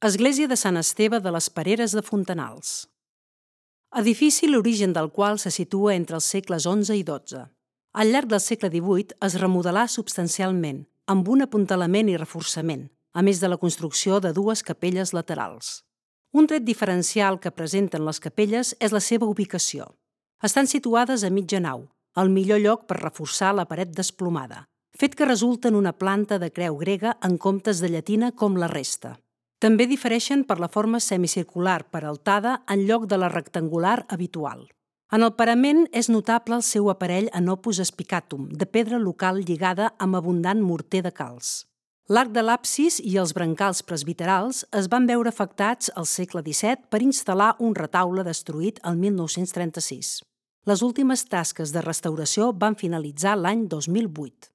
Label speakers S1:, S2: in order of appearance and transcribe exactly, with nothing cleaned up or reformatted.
S1: Església de Sant Esteve de les Pereres de Fontanals. Edifici l'origen del qual se situa entre els segles onze i dotze. Al llarg del segle divuit es remodelà substancialment, amb un apuntalament i reforçament, a més de la construcció de dues capelles laterals. Un tret diferencial que presenten les capelles és la seva ubicació. Estan situades a mitja nau, el millor lloc per reforçar la paret desplomada, fet que resulta en una planta de creu grega en comptes de llatina com la resta. També difereixen per la forma semicircular peraltada en lloc de la rectangular habitual. En el parament és notable el seu aparell en opus spicatum, de pedra local lligada amb abundant morter de calç. L'arc de l'absis i els brancals presbiterals es van veure afectats al segle disset per instal·lar un retaule destruït el mil nou-cents trenta-sis. Les últimes tasques de restauració van finalitzar l'any dos mil vuit.